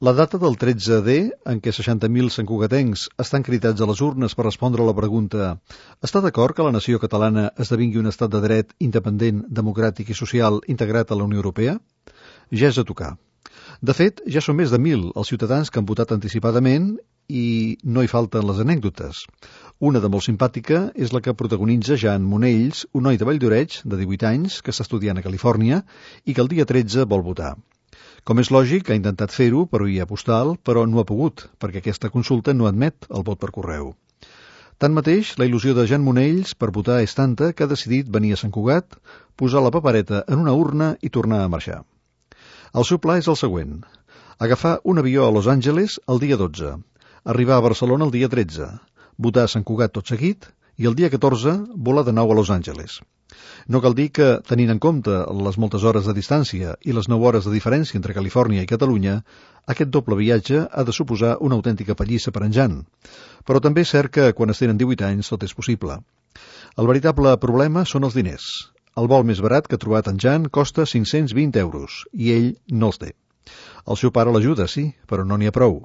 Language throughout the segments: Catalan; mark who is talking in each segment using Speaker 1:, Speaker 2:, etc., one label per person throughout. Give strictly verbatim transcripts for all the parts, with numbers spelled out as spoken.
Speaker 1: La data del tretze D, en què seixanta mil santcugatencs estan cridats a les urnes per respondre a la pregunta «Està d'acord que la nació catalana esdevingui un estat de dret independent, democràtic i social integrat a la Unió Europea?» Ja és a tocar. De fet, ja són més de mil els ciutadans que han votat anticipadament i no hi falten les anècdotes. Una de molt simpàtica és la que protagonitza Jan Monells, un noi de Valldoreix, de divuit anys, que està estudiant a Califòrnia i que el dia tretze vol votar. Com és lògic, ha intentat fer-ho per via postal, però no ha pogut, perquè aquesta consulta no admet el vot per correu. Tanmateix, la il·lusió de Jan Monells per votar és tanta que ha decidit venir a Sant Cugat, posar la papereta en una urna i tornar a marxar. El seu pla és el següent: agafar un avió a Los Angeles el dia dotze, arribar a Barcelona el dia tretze, votar a Sant Cugat tot seguit i el dia catorze volar de nou a Los Angeles. No cal dir que, tenint en compte les moltes hores de distància i les nou hores de diferència entre Califòrnia i Catalunya, aquest doble viatge ha de suposar una autèntica pallissa per en Jan. Però també és cert que quan es tenen divuit anys tot és possible. El veritable problema són els diners. El vol més barat que ha trobat en Jan costa cinc-cents vint euros i ell no els té. El seu pare l'ajuda, sí, però no n'hi ha prou.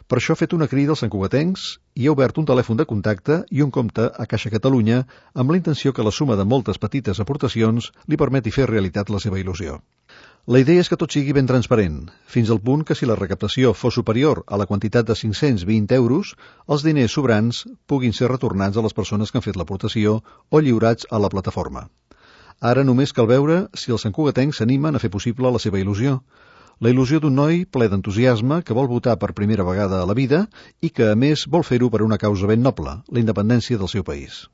Speaker 1: Per això ha fet una crida als santcugatencs i ha obert un telèfon de contacte i un compte a Caixa Catalunya amb la intenció que la suma de moltes petites aportacions li permeti fer realitat la seva il·lusió. La idea és que tot sigui ben transparent, fins al punt que si la recaptació fos superior a la quantitat de cinc-cents vint euros, els diners sobrants puguin ser retornats a les persones que han fet l'aportació o lliurats a la plataforma. Ara només cal veure si els santcugatencs s'animen a fer possible la seva il·lusió. La il·lusió d'un noi ple d'entusiasme que vol votar per primera vegada a la vida i que, a més, vol fer-ho per una causa ben noble, la independència del seu país.